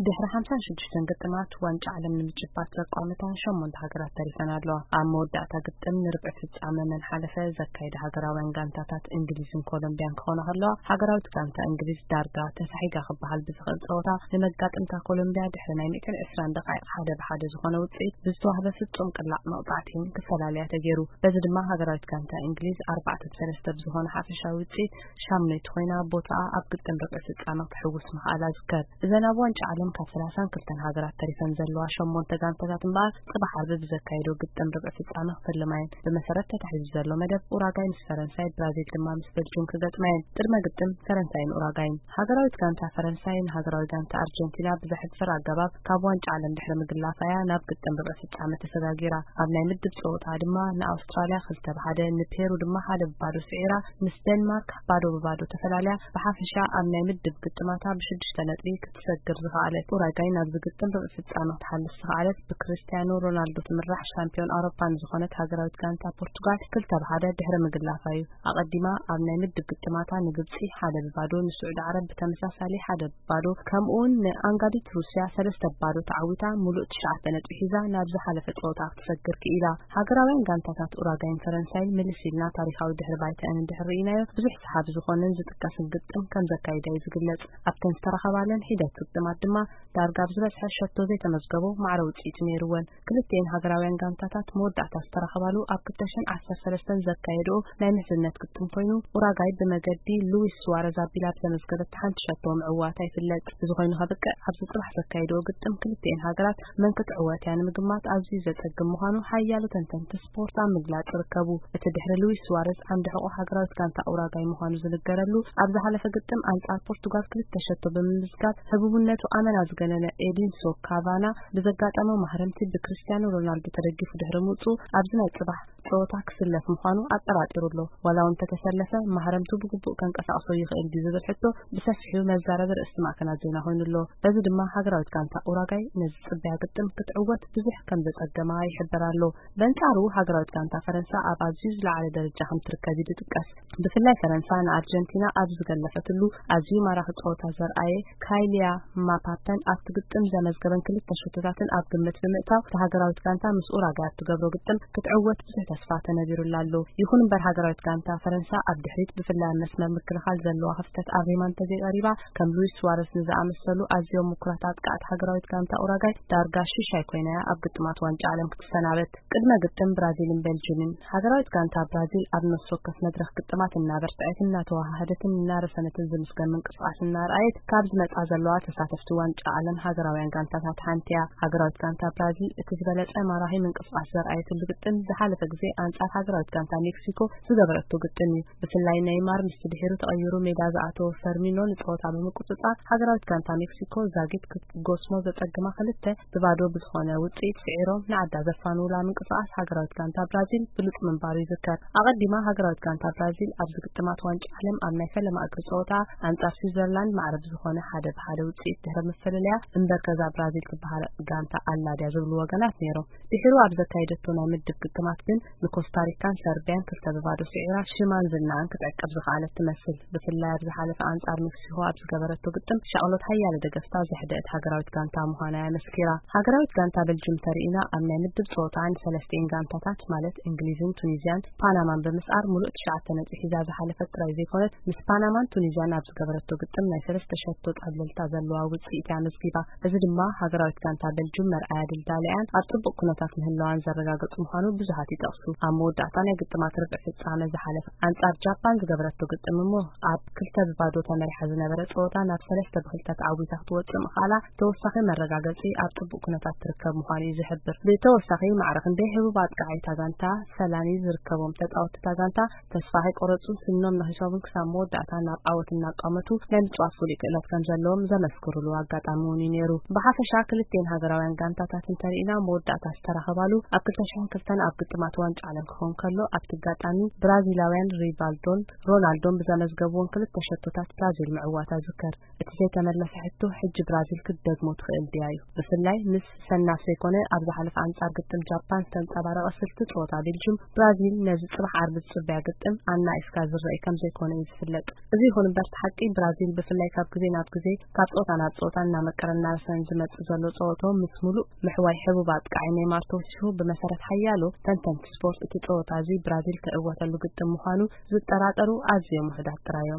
ድሕሪ ሓምሳን ሽዱሽተን ግጥማት ዋንጫ ዓለም ንምጭባጥ ዘቋመታ ሸሞንተ ሃገራት ተሪፈን ኣለዋ። ኣብ መወዳእታ ግጥም ንርብዒ ፍጻመ መን ሓለፈ ዘካየደ ሃገራውያን ጋንታታት እንግሊዝን ኮሎምቢያን ክኾና ከለዋ፣ ሃገራዊት ጋንታ እንግሊዝ ዳርጋ ተሳሒጋ ክበሃል ብዝኽእል ጸወታ ንመጋጥምታ ኮሎምቢያ ድሕሪ ናይ ሚእትን ዕስራን ደቓይቕ ሓደ ብሓደ ዝኾነ ውጽኢት ብዝተዋህበ ፍጹም ቅላዕ መቕጻዕቲ ክፈላልያ ተገይሩ። በዚ ድማ ሃገራዊት ጋንታ እንግሊዝ ኣርባዕተ ብሰለስተ ብዝኾነ ሓፈሻዊ ውጽኢት ሻምነይቲ ኮይና ቦታኣ ኣብ ግጥም ርብዒ ፍጻመ ክትሕውስ ምኽኣላ ዝከር። እዘን ኣብ ዋንጫ ዓለም ካብ ሰላሳን ክልተን ሃገራት ተሪፈን ዘለዋ ሸሞንተ ጋንታታት እምበኣር ጽባሕ ዓርቢ ብዘካየዶ ግጥም ርብዒ ፍጻመ ክፍልማ እየን። ብመሰረት ተታሒዙ ዘሎ መደብ ኡራጋይ ምስ ፈረንሳይ፣ ብራዚል ድማ ምስ ቤልጅም ክገጥማ እየን። ቅድመ ግጥም ፈረንሳይን ኡራጋይን። ሃገራዊት ጋንታ ፈረንሳይ ንሃገራዊ ጋንታ ኣርጀንቲና ብዘሕፍር ኣገባብ ካብ ዋንጫ ዓለም ድሕሪ ምግላፋ እያ ናብ ግጥም ርብዒ ፍጻመ ተሰጋጊራ። ኣብ ናይ ምድብ ጸወታ ድማ ንኣውስትራልያ ክልተ ብሓደ፣ ንፔሩ ድማ ሓደ ብባዶ ስዒራ፣ ምስ ደንማርክ ባዶ ብባዶ ተፈላልያ፣ ብሓፈሻ ኣብ ናይ ምድብ ግጥማታ ብሽዱሽተ ነጥቢ ክትሰግር ዝኸኣለት። ኡራጋይ ናብዚ ግጥም ርብዒ ፍጻመ ክትሓልፍ ዝኸኣለት ብክሪስቲያኖ ሮናልዶ ትምራሕ ሻምፒዮን ኣውሮፓ ንዝኾነት ሃገራዊት ጋንታ ፖርቱጋል ክልተ ብሓደ ድሕሪ ምግላፋ እዩ። ኣቐዲማ ኣብ ናይ ምድብ ግጥማታ ንግብጺ ሓደ ብባዶ፣ ንስዑዲ ዓረብ ብተመሳሳሊ ሓደ ብባዶ፣ ከምኡውን ንኣንጋዲት ሩስያ ሰለስተ ብባዶ ተዓዊታ፣ ሙሉእ ትሽዓተ ነጥቢ ሒዛ ናብ ዝሓለፈ ጸወታ ክትሰግር ክኢላ። ሃገራውያን ጋንታታት ኡራጋይን ፈረንሳይን ምልስ ኢልና ታሪኻዊ ድሕሪ ባይታኣን እንድሕር ርኢናዮ፣ ብዙሕ ሰሓቢ ዝኾነን ዝጥቀስን ግጥም ከም ዘካይዳ እዩ ዝግለጽ። ኣብተን ዝተረኸባለን ሒደት ግጥማት ድማ ዳርጋ ኣብ ዝበዝሐ ሸቶ ዘይተመዝገቦ ማዕረ ውጽኢት ነይርወን። ክልቲኤን ሃገራውያን ጋንታታት መወዳእታ ዝተረኸባሉ ኣብ ክልተ ሽሕን ዓሰርተ ሰለስተን ዘካየድኦ ናይ ምሕዝነት ግጥም ኮይኑ፣ ኡራጋይ ብመገዲ ሉዊስ ሱዋረዝ ኣቢላ ብዘመዝገበት ሓንቲ ሸቶ ምዕዋታ ይፍለጥ። እዚ ኮይኑ ከብቅዕ፣ ኣብዚ ጽባሕ ዘካየድኦ ግጥም ክልቲኤን ሃገራት መን ክትዕወት እያ ንምግማት ኣዝዩ ዘጸግም ምዃኑ ሓያሎ ተንተንቲ ስፖርት ኣብ ምግላጽ ይርከቡ። እቲ ድሕሪ ሉዊስ ሱዋረዝ ዓንዲ ሕቖ ሃገራዊት ጋንታ ኡራጋይ ምዃኑ ዝንገረሉ፣ ኣብ ዝሓለፈ ግጥም ኣንጻር ፖርቱጋል ክልተ ሸቶ ብምምዝጋብ ህቡብነቱ ኣመና ዝገነነ ኤዲንሶ ካቫና ብዘጋጠሞ ማህረምቲ ብክሪስቲያኖ ሮናልዶ ተደጊፉ ድሕሪ ምውጽኡ፣ ኣብዚ ናይ ጽባሕ ጸወታ ክስለፍ ምዃኑ ኣጠራጢሩ ኣሎ። ዋላ እውን እንተተሰለፈ፣ ማህረምቱ ብግቡእ ከንቀሳቕሶ ይኽእል ድዩ ዝብል ሕቶ ብሰፊሑ መዛረቢ ርእስቲ ማዕከናት ዜና ኮይኑ ኣሎ። በዚ ድማ ሃገራዊት ጋንታ ኡራጋይ ነዚ ጽበያ ግጥም ክትዕወት ብዙሕ ከም ዘጸገማ ይሕበር ኣሎ። በንጻሩ፣ ሃገራዊት ጋንታ ፈረንሳ ኣብ ኣዝዩ ዝለዓለ ደረጃ ከም ትርከብ እዩ ዝጥቀስ። ብፍላይ ፈረንሳ ንኣርጀንቲና ኣብ ዝገለፈትሉ ኣዝዩ ማራኺ ጸወታ ዘርኣየ ካይልያ ማፓፐን ኣብቲ ግጥም ዘመዝገበን ክልተ ሸቶታትን ኣብ ግምት ብምእታው፣ እታ ሃገራዊት ጋንታ ምስ ኡራጋይ ኣብ ትገብሮ ግጥም ክትዕወት ብዙሕ ተስፋ ተነቢሩላ ኣሎ። ይኹን እምበር፣ ሃገራዊት ጋንታ ፈረንሳ ኣብ ድሕሪት፣ ብፍላይ ኣብ መስመር ምክልኻል ዘለዋ ክፍተት ኣሪማ እንተዘይቐሪባ፣ ከም ሉዊስ ሱዋረዝ ንዝኣመሰሉ ኣዝዮም ምኩራት ኣጥቃዕቲ ሃገራዊት ጋንታ ኡራጋይ ዳርጋ ሽሻይ ኮይና እያ ኣብ ግጥማት ዋንጫ ዓለም ክትሰናበት። ቅድመ ግጥም ብራዚልን ቤልጅምን። ሃገራዊት ጋንታ ብራዚል ኣብ ነፍሲ ወከፍ መድረኽ ግጥማት እናበርትዐትን እናተወሃሃደትን እናረሰነትን ዝምስገን ምንቅስቓስ እናርኣየት ካብ ዝመጻ ዘለዋ ተሳተፍቲ ዋንጫ ዓለም ሃገራውያን ጋንታታት ሓንቲ እያ። ሃገራዊት ጋንታ ብራዚል እቲ ዝበለጸ ማራኺ ምንቅስቓስ ዘርኣየትሉ ግጥም ዝሓለፈ ግዜ ኣንጻር ሃገራዊት ጋንታ ሜክሲኮ ዝገበረቶ ግጥም እዩ። ብፍላይ ኔይማር ምስቲ ድሒሩ ተቐይሩ ሜዳ ዝኣተወ ፈርሚኖ ንጸወታ ብምቁጽጻር፣ ሃገራዊት ጋንታ ሜክሲኮ ዛጊት ክትጎስሞ ዘጸግማ ክልተ ብባዶ ብዝኾነ ውጽኢት ስዒሮም ንዓዳ ዘፋንውላ ምንቅስቓስ ሃገራዊት ጋንታ ብራዚል ብሉጽ ምንባሩ ይዝከር። ኣቐዲማ ሃገራዊት ጋንታ ብራዚል ኣብዚ ግጥማት ዋንጫ ዓለም ኣብ ናይ ፈለማ እግሪ ጸወታ ኣንጻር ስዊዘርላንድ ማዕረ ብዝኾነ ሓደ ብሓደ ውጽኢት ድሕሪ ምፍልልያ፣ እምበር ገዛ ብራዚል ትበሃል ጋንታ ኣላ ድያ ዝብሉ ወገናት ነይሮም። ድሒሩ ኣብ ዘካየደቶ ናይ ምድብ ግጥማት ግን ንኮስታሪካን ሰርቢያን ክልተ ብባዶ ስዒራ ሽማን ዝናኣን ክትዕቅብ ዝኸኣለት ትመስል። ብፍላይ ኣብ ዝሓለፈ ኣንጻር ሜክሲኮ ኣብ ዝገበረቶ ግጥም ሻቕሎት ሓያለ ደገፍታ ዘሕደአት ሃገራዊት ጋንታ ምዃና እያ መስኪራ። ሃገራዊት ጋንታ ቤልጅም ተርኢና ኣብ ናይ ምድብ ጸወታ ንሰለስቲኤን ጋንታታት ማለት እንግሊዝን ቱኒዝያን ፓናማን ብምስዓር ሙሉእ ትሽዓተ ነጥቢ ሒዛ ዝሓለፈት ጥራይ ዘይኮነት፣ ምስ ፓናማን ቱኒዝያን ኣብ ዝገበረቶ ግጥም ናይ ሰለስተ ሸቶ ጸብለልታ ዘለዋ ውጽኢት እያ ኣመዝጊባ። እዚ ድማ ሃገራዊት ጋንታ ቤልጅም መርኣያ ድልዳለኣን ኣብ ጽቡቕ ኩነታት ምህላዋን ዘረጋግጽ ምዃኑ ብዙሃት ይጠቕሱ። ኣብ መወዳእታ ናይ ግጥማት ርብዒ ፍጻመ ዝሓለፈ ኣንጻር ጃፓን ዝገበረቶ ግጥም እሞ ኣብ ክልተ ብባዶ ተመሪሓ ዝነበረ ጸወታ ናብ ሰለስተ ብክልተ ተዓዊታ ክትወጽእ ምኽኣላ ተወሳኺ መረጋገጺ ኣብ ጽቡቕ ኩነታት ትርከብ ምዃኑ እዩ ዝሕብር። ብተወሳኺ ማዕረ ክንደይ ህቡብ ኣጥቃዓይ እታ ጋንታ ሰላኒ ዝርከቦም ተጻወትቲ እታ ጋንታ ተስፋ ከይቆረጹ ስኖም ነኺሶምን ክሳብ መወዳእታ ናብ ዓወት እናቋመቱ ናይ ምጽዋት ፍሉይ ክእለት ከም ዘለዎም ዘመስክሩሉ ኣጋጣሚ እውን እዩ ነይሩ። ብሓፈሻ ክልቲኤን ሃገራውያን ጋንታታት እንተርኢና መወዳእታ ዝተራኸባሉ ኣብ ክልተ ሽሕን ክልተን ኣብ ግጥማት ዋንጫ ዓለም ክኸውን ከሎ፣ ኣብቲ ኣጋጣሚ ብራዚላውያን ሪቫልዶን ሮናልዶን ብዘመዝገብዎን ክልተ ሸቶታት ብራዚል ምዕዋታ ይዝከር። እቲ ዘይተመለሰ ሕቶ፣ ሕጂ ብራዚል ክትደግሞ ትኽእል ድያ እዩ። ብፍላይ ምስ ሰናፍ ዘይኮነ ኣብ ዝሓለፈ ኣንጻር ግጥም ጃፓን ዝተንጸባረቐ ስልቲ ጸወታ ቤልጅም፣ ብራዚል ነዚ ጽባሕ ዓርቢ ዝጽበያ ግጥም ኣናኢስካ ዝረኣይ ከም ዘይኮነ እዩ ዝፍለጥ። እዚ ይኹን እምበር፣ እቲ ሓቂ ብራዚል ብፍላይ ካብ ግዜ ናብ ግዜ ካብ ጸወታ ናብ ጸወታ እናመቀረ እናረሰን ዝመጽእ ዘሎ ጸወቶ ምስ ሙሉእ ምሕዋይ ሕቡብ ኣጥቃዓይ ኔይማር ተወሲኹ፣ ብመሰረት ሓያሎ ተንተንቲ ስፖርት እቲ ጸወታ እዚ ብራዚል ትዕወተሉ ግጥም ምዃኑ ዝጠራጠሩ ኣዝዮም ውሑዳት ጥራዮም።